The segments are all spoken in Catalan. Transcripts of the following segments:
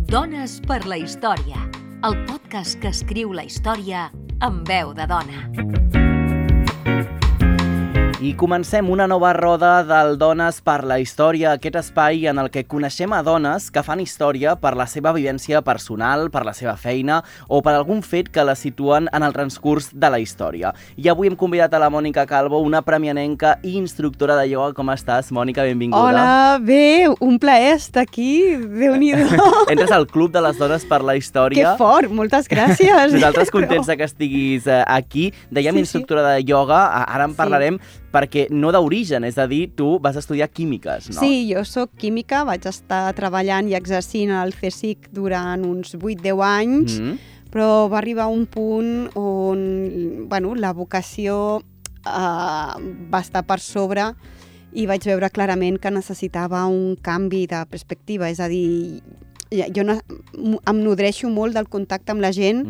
Dones per la història, el podcast que escriu la història amb veu de dona. I comencem una nova roda del Dones per la història, aquest espai en el que coneixem a dones que fan història per la seva vivència personal, per la seva feina o per algun fet que la situen en el transcurs de la història. I avui hem convidat a la Mònica Calvo, una premianenca i instructora de ioga. Com estàs, Mònica? Benvinguda. Hola, bé, un plaer estar aquí, Déu-n'hi-do. Entres al Club de les Dones per la Història. Que fort, moltes gràcies. Nosaltres contents que estiguis aquí. Dèiem instructora de ioga, ara en parlarem, perquè no d'origen, és a dir, tu vas estudiar químiques, no? Sí, jo sóc química, vaig estar treballant i exercint al CSIC durant uns 8-10 anys, però va arribar un punt on la vocació va estar per sobre i vaig veure clarament que necessitava un canvi de perspectiva, és a dir, jo em nodreixo molt del contacte amb la gent,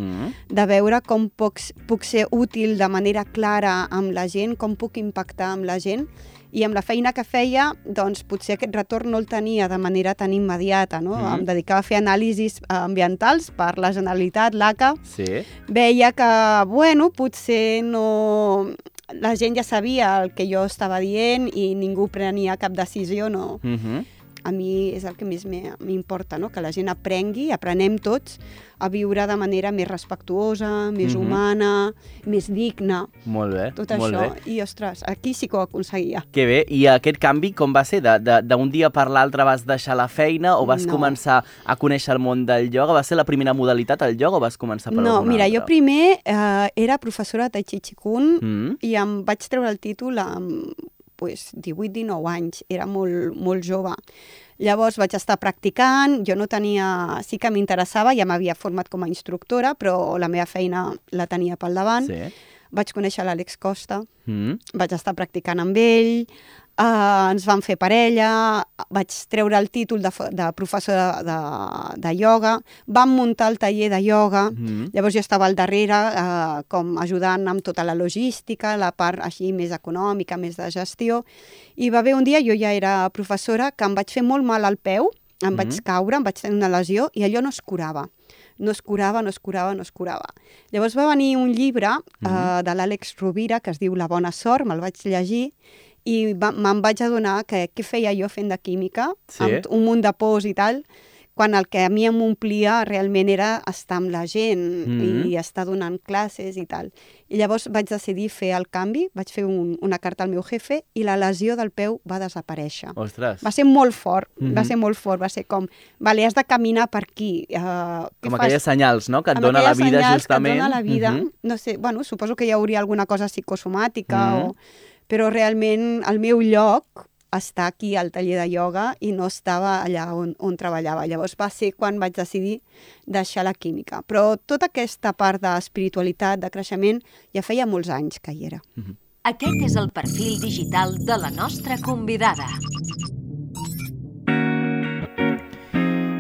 de veure com puc ser útil de manera clara amb la gent, com puc impactar amb la gent, i amb la feina que feia, doncs potser aquest retorn no el tenia de manera tan immediata, no? Em dedicava a fer anàlisis ambientals per la Generalitat, l'ACA. Sí. Veia que, potser no... La gent ja sabia el que jo estava dient i ningú prenia cap decisió, no... A mi és el que més m'importa, no? Que la gent aprenem tots a viure de manera més respectuosa, més humana, més digna. Molt bé, tot molt això. bé. I, ostres, aquí sí que ho aconseguia. Que bé. I aquest canvi com va ser? D'un dia per l'altre vas deixar la feina o vas començar a conèixer el món del ioga? Va ser la primera modalitat, el ioga, o vas començar per alguna altra? No, mira, jo primer era professora de Tai Chi Qigong i em vaig treure el títol amb 18-19 anys, era molt jove. Llavors vaig estar practicant, jo no tenia... Sí que m'interessava, ja m'havia format com a instructora, però la meva feina la tenia pel davant. Sí. Vaig conèixer l'Àlex Costa, vaig estar practicant amb ell, ens vam fer parella, vaig treure el títol de professora de ioga, vam muntar el taller de ioga, llavors jo estava al darrere com ajudant amb tota la logística, la part així més econòmica, més de gestió, i va haver un dia, jo ja era professora, que em vaig fer molt mal al peu, em vaig caure, em vaig tenir una lesió i allò no es curava. No es curava. Llavors va venir un llibre de l'Àlex Rovira que es diu La bona sort, me'l vaig llegir, i me'n vaig adonar que què feia jo fent de química, amb un munt de pors i tal, quan el que a mi m'omplia realment era estar amb la gent i estar donant classes i tal. I llavors vaig decidir fer el canvi, vaig fer una carta al meu jefe i la lesió del peu va desaparèixer. Ostres! Va ser molt fort, va ser com, vale, has de caminar per aquí. Com aquelles senyals, no?, que et dona la vida, justament. Que et dona la vida. No sé, suposo que hi hauria alguna cosa psicosomàtica però realment el meu lloc està aquí al taller de ioga i no estava allà on treballava. Llavors va ser quan vaig decidir deixar la química. Però tota aquesta part d'espiritualitat, de creixement, ja feia molts anys que hi era. Aquest és el perfil digital de la nostra convidada.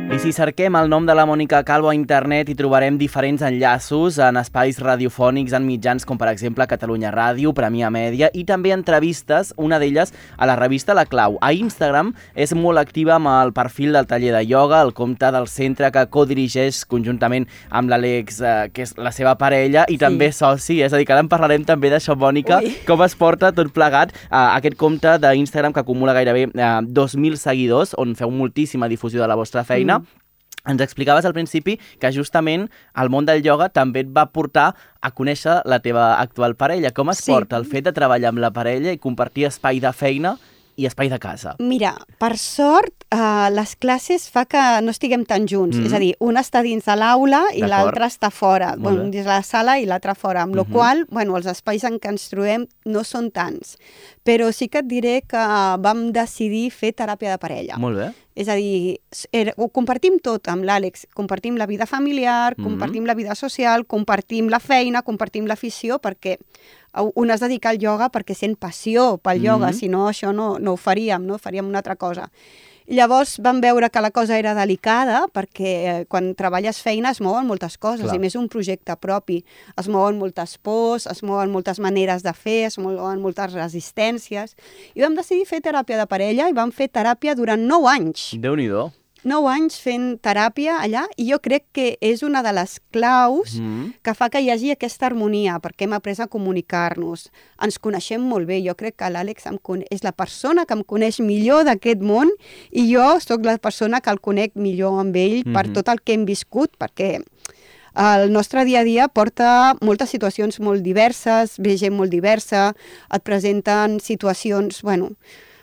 I si cerquem el nom de la Mònica Calvo a internet hi trobarem diferents enllaços en espais radiofònics, en mitjans com per exemple Catalunya Ràdio, Premià Mèdia i també entrevistes, una d'elles a la revista La Clau. A Instagram és molt activa amb el perfil del taller de ioga, el compte del centre que codirigeix conjuntament amb l'Àlex, que és la seva parella i també soci, és a dir, que ara en parlarem també d'això, Mònica, com es porta tot plegat aquest compte d'Instagram que acumula gairebé 2.000 seguidors, on feu moltíssima difusió de la vostra feina. Ens explicaves al principi que justament el món del ioga també et va portar a conèixer la teva actual parella. Com es porta el fet de treballar amb la parella i compartir espai de feina i espai de casa? Mira, per sort, les classes fa que no estiguem tan junts. És a dir, un està dins de l'aula i l'altre està fora. Dins de la sala i l'altre fora. Amb la qual cosa, els espais en què ens trobem no són tants. Però sí que et diré que vam decidir fer teràpia de parella. Molt bé. És a dir, ho compartim tot amb l'Àlex. Compartim la vida familiar, compartim la vida social, compartim la feina, compartim l'afició, perquè un es dedica al ioga perquè sent passió pel ioga, si no això no ho faríem, no? Faríem una altra cosa. Llavors vam veure que la cosa era delicada perquè quan treballes feina es mouen moltes coses. Clar. I més un projecte propi. Es mouen moltes pors, es mouen moltes maneres de fer, es mouen moltes resistències. I vam decidir fer teràpia de parella i vam fer teràpia durant 9 anys. Déu-n'hi-do. 9 anys fent teràpia allà i jo crec que és una de les claus que fa que hi hagi aquesta harmonia, perquè hem après a comunicar-nos. Ens coneixem molt bé. Jo crec que l'Àlex és la persona que em coneix millor d'aquest món i jo sóc la persona que el conec millor amb ell per tot el que hem viscut, perquè el nostre dia a dia porta moltes situacions molt diverses, ve gent molt diversa, et presenten situacions,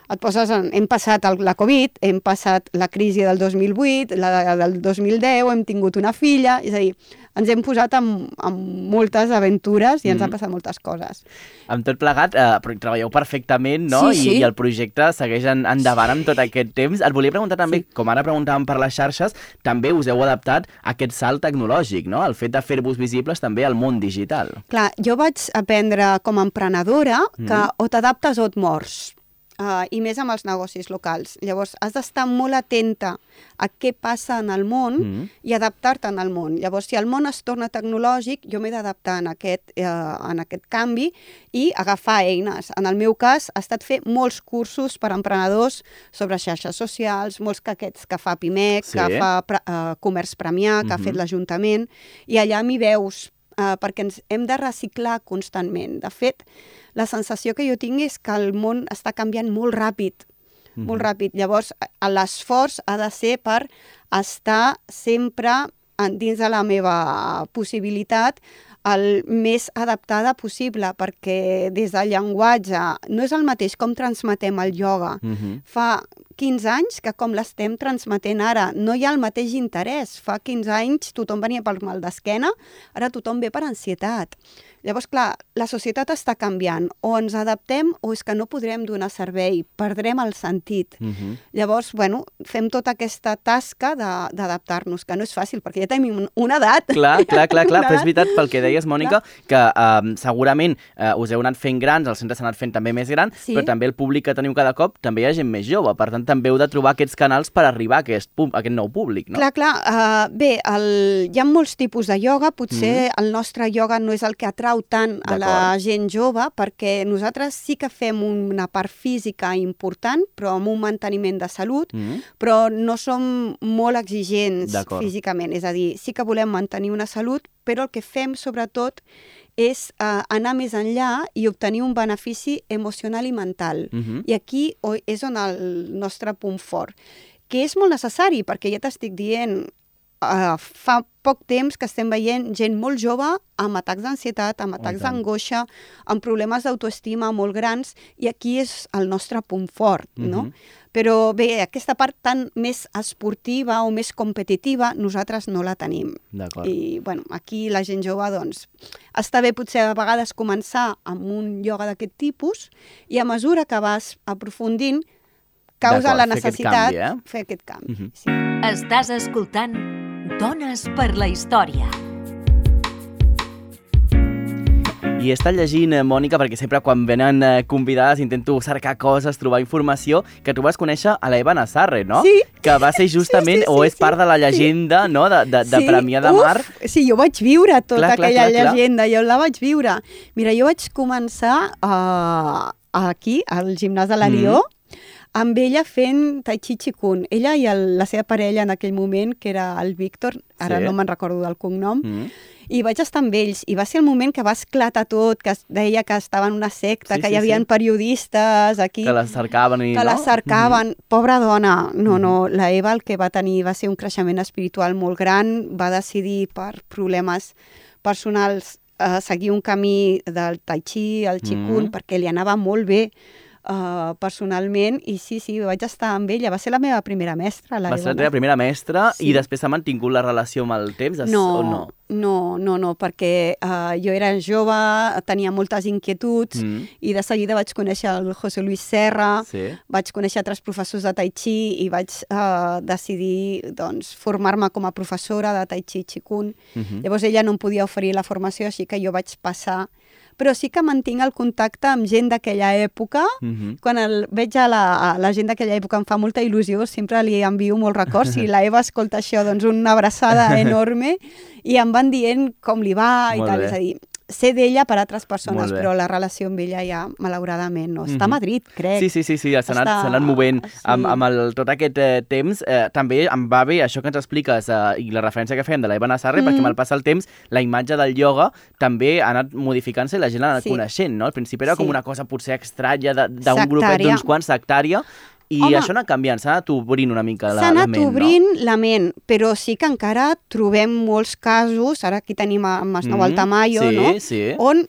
et poses hem passat la Covid, hem passat la crisi del 2008, la del 2010, hem tingut una filla, és a dir, ens hem posat amb moltes aventures i ens han passat moltes coses. Amb tot plegat, treballeu perfectament, no? Sí. I el projecte segueix endavant amb tot aquest temps. Et volia preguntar també, com ara preguntàvem per les xarxes, també us heu adaptat a aquest salt tecnològic, no? El fet de fer-vos visibles també al món digital. Clar, jo vaig aprendre com a emprenedora que o t'adaptes o et mors. I més amb els negocis locals. Llavors, has d'estar molt atenta a què passa en el món i adaptar-te en el món. Llavors, si el món es torna tecnològic, jo m'he d'adaptar en aquest canvi i agafar eines. En el meu cas, ha estat fer molts cursos per a emprenedors sobre xarxes socials, molts aquests que fa PIMEC, que fa Comerç Premià, que ha fet l'Ajuntament, i allà m'hi veus, perquè ens hem de reciclar constantment. De fet, la sensació que jo tinc és que el món està canviant molt ràpid, molt ràpid. Llavors, l'esforç ha de ser per estar sempre dins de la meva possibilitat el més adaptada possible, perquè des del llenguatge no és el mateix com transmetem el ioga. Fa 15 anys que com l'estem transmetent ara, no hi ha el mateix interès. Fa 15 anys tothom venia per mal d'esquena, ara tothom ve per ansietat. Llavors, clar, la societat està canviant. O ens adaptem o és que no podrem donar servei, perdrem el sentit. Llavors, fem tota aquesta tasca d'adaptar-nos, que no és fàcil, perquè ja tenim una edat. Clar, però és veritat, pel que deies, Mònica, que segurament us heu anat fent grans, el centre s'ha anat fent també més gran, però també el públic que teniu cada cop també hi ha gent més jove, per tant també heu de trobar aquests canals per arribar a aquest nou públic, no? Clar. Bé, hi ha molts tipus de ioga, potser el nostre ioga no és el que atrau tant a la gent jove, perquè nosaltres sí que fem una part física important, però amb un manteniment de salut, però no som molt exigents físicament. És a dir, sí que volem mantenir una salut, però el que fem sobretot és anar més enllà i obtenir un benefici emocional i mental. I aquí és on el nostre punt fort, que és molt necessari, perquè ja t'estic dient, fa poc temps que estem veient gent molt jove amb atacs d'ansietat, amb atacs d'angoixa, amb problemes d'autoestima molt grans, i aquí és el nostre punt fort, no? Però bé, aquesta part tan més esportiva o més competitiva, nosaltres no la tenim. I, aquí la gent jove, doncs, està bé potser a vegades començar amb un ioga d'aquest tipus, i a mesura que vas aprofundint, causa la necessitat de fer aquest canvi. Estàs escoltant Dones per la Història. I he estat llegint, Mònica, perquè sempre quan venen convidades intento cercar coses, trobar informació, que tu vas conèixer a l'Eva Nassarre, no? Sí. Que va ser justament, és part de la llegenda, no?, de Premià de Mar. Sí, jo vaig viure tota aquella llegenda, jo la vaig viure. Mira, jo vaig començar aquí, al gimnàs de l'Alió, amb ella fent Tai Chi Qigong. Ella i la seva parella en aquell moment, que era el Víctor, ara no me'n recordo del cognom, i vaig estar amb ells, i va ser el moment que va esclatar tot, que es deia que estava en una secta, que hi havia periodistes aquí... Que les cercaven i... Que les cercaven. Pobra dona. No, la Eva el que va tenir va ser un creixement espiritual molt gran, va decidir per problemes personals seguir un camí del Tai Chi, el Qigong, perquè li anava molt bé personalment, i sí, vaig estar amb ella. Va ser la meva primera mestra. Va ser la teva primera mestra, i després s'ha mantingut la relació amb el temps? No, perquè jo era jove, tenia moltes inquietuds, i de seguida vaig conèixer el José Luis Serra, vaig conèixer altres professors de Tai Chi, i vaig decidir formar-me com a professora de Tai Chi Qigong. Llavors ella no em podia oferir la formació, així que jo vaig passar. Però sí que mantinc el contacte amb gent d'aquella època. Quan veig a la gent d'aquella època em fa molta il·lusió, sempre li envio molts records. Si la Eva escolta això, doncs una abraçada enorme, i em van dient com li va i tal. És a dir, sé d'ella per altres persones, però la relació amb ella ja, malauradament, no. Està a Madrid, crec. Sí, s'ha anat movent. Amb tot aquest temps, també em va bé això que ens expliques i la referència que fem de la Eva Nassarre, perquè amb el pas del temps, la imatge del ioga també ha anat modificant-se i la gent l'ha anat coneixent, no? Al principi era com una cosa potser estranya d'un grupet d'uns quants, sectària. I això ha anat canviant, s'ha anat obrint una mica la ment, no? S'ha anat obrint la ment, però sí que encara trobem molts casos, ara aquí tenim a Masnou Altamayo, no? On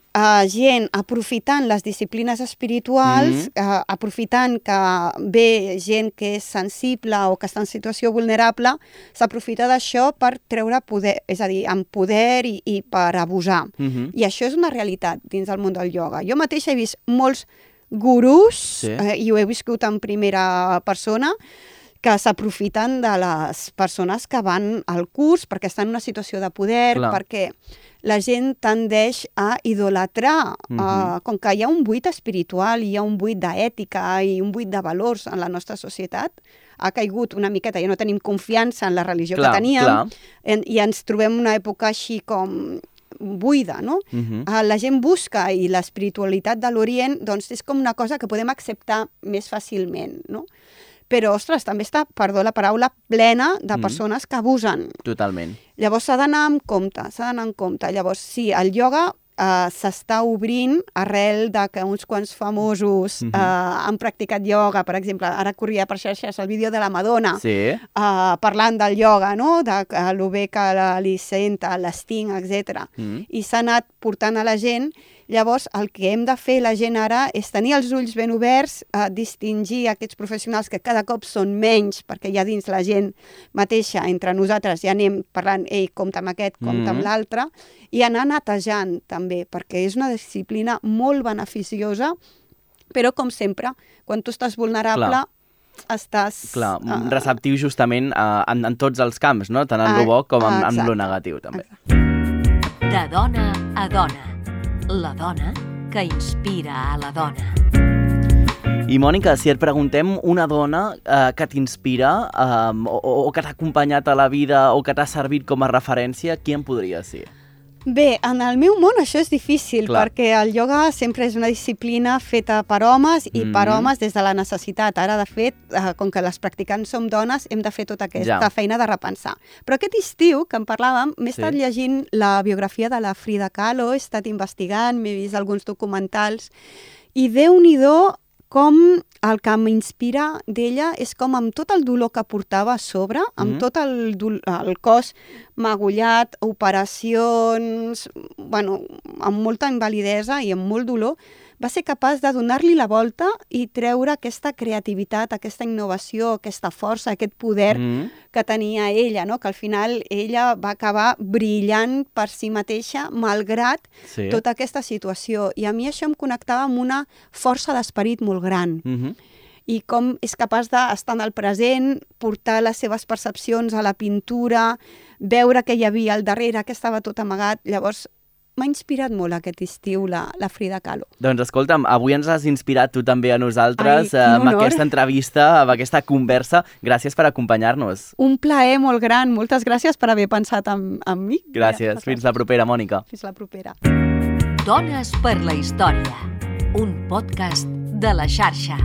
gent aprofitant les disciplines espirituals, aprofitant que ve gent que és sensible o que està en situació vulnerable, s'aprofita d'això per treure poder, és a dir, amb poder i per abusar. I això és una realitat dins del món del ioga. Jo mateixa he vist molts gurús, i ho he viscut en primera persona, que s'aprofiten de les persones que van al curs perquè estan en una situació de poder, perquè la gent tendeix a idolatrar. Com que hi ha un buit espiritual, hi ha un buit d'ètica i un buit de valors en la nostra societat, ha caigut una miqueta, ja no tenim confiança en la religió que teníem, i ens trobem una època així com buida, no? La gent busca, i l'espiritualitat de l'Orient doncs és com una cosa que podem acceptar més fàcilment, no? Però, ostres, també està, perdó la paraula, plena de persones que abusen. Totalment. Llavors s'ha d'anar amb compte, Llavors, sí, el ioga s'està obrint arrel de que uns quants famosos han practicat ioga. Per exemple, ara corria per xarxes el vídeo de la Madonna parlant del ioga, no? De lo bé que li senta, l'esting, etc. I s'ha anat portant a la gent. Llavors, el que hem de fer la gent ara és tenir els ulls ben oberts, distingir aquests professionals que cada cop són menys, perquè ja dins la gent mateixa, entre nosaltres, ja anem parlant, ei, compta amb aquest, compta amb l'altre, i anar netejant també, perquè és una disciplina molt beneficiosa, però com sempre, quan tu estàs vulnerable, estàs... Clar, receptiu justament en tots els camps, no? Tant en lo bo com en lo negatiu, també. De dona a dona. La dona que inspira a la dona. I, Mònica, si et preguntem una dona que t'inspira o que t'ha acompanyat a la vida o que t'ha servit com a referència, qui en podria ser? Bé, en el meu món això és difícil, perquè el ioga sempre és una disciplina feta per homes i per homes des de la necessitat. Ara, de fet, com que les practicants som dones, hem de fer tota aquesta feina de repensar. Però aquest estiu, que en parlàvem, m'he estat llegint la biografia de la Frida Kahlo, he estat investigant, m'he vist alguns documentals, i Déu-n'hi-do com el que m'inspira d'ella és com amb tot el dolor que portava a sobre, amb tot el cos magullat, operacions, bueno, amb molta invalidesa i amb molt dolor, va ser capaç de donar-li la volta i treure aquesta creativitat, aquesta innovació, aquesta força, aquest poder que tenia ella, no? Que al final ella va acabar brillant per si mateixa, malgrat tota aquesta situació. I a mi això em connectava amb una força d'esperit molt gran. I com és capaç d'estar en el present, portar les seves percepcions a la pintura, veure què hi havia al darrere, que estava tot amagat. Llavors, m'ha inspirat molt aquest estiu la Frida Kahlo. Doncs escolta'm, avui ens has inspirat tu també a nosaltres amb aquesta entrevista, amb aquesta conversa. Gràcies per acompanyar-nos. Un plaer molt gran. Moltes gràcies per haver pensat en mi. Gràcies. Fins la propera, Mònica. Fins la propera. Dones per la història. Un podcast de la xarxa.